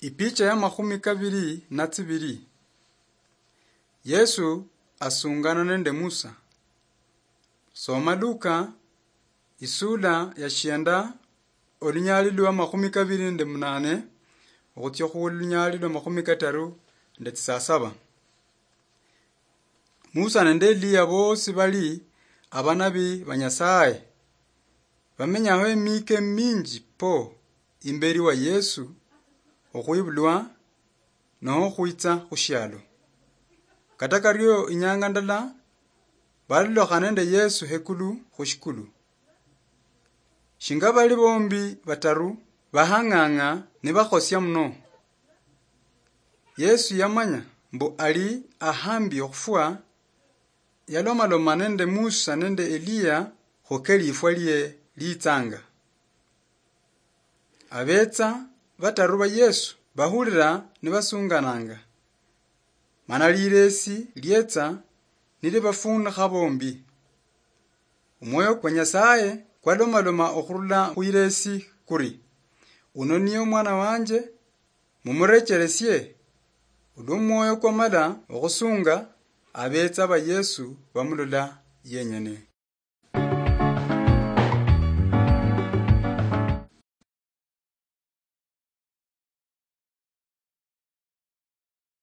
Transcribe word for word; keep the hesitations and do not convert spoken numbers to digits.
Ipicha ya makhumi kabiri na tsibiri. Yesu asungana nende Musa. Soma Luka, isula ya shienda, olunyali lwa makhumi kabiri nende munane, okhutsia khulunyali lwa makhumi kataru nende tsisasaba. Musa nende Eliya bosi bali abanabi ba Nyasaye. Bamenyaho emika eminji po imberi wa Yesu okhwibulwa noho okhwitsa khushialo. Kata kario inyanga ndala, balolokha nende Yesu hekulu khushikulu. Shinga bali bombi bataru bahang'ang'a nibakhosia muno. Yesu yamanya mbu ali ahambi okhufwa, yalomaloma nende Musa nende Eliya khukeli ifwa lie litsanga. Abetsa bataru ba Yesu bahulira nibasungananga, mana liresi lietsa nilibafunikha bombi. Omwoyo kwa Nyasaye kwalomaloma okhurula khwiresi kuri, "Uno niye omwana wanje, mumurecheresie." Olwo omwoyo kwamala okhusunga abetsa ba Yesu bamulola yenyene.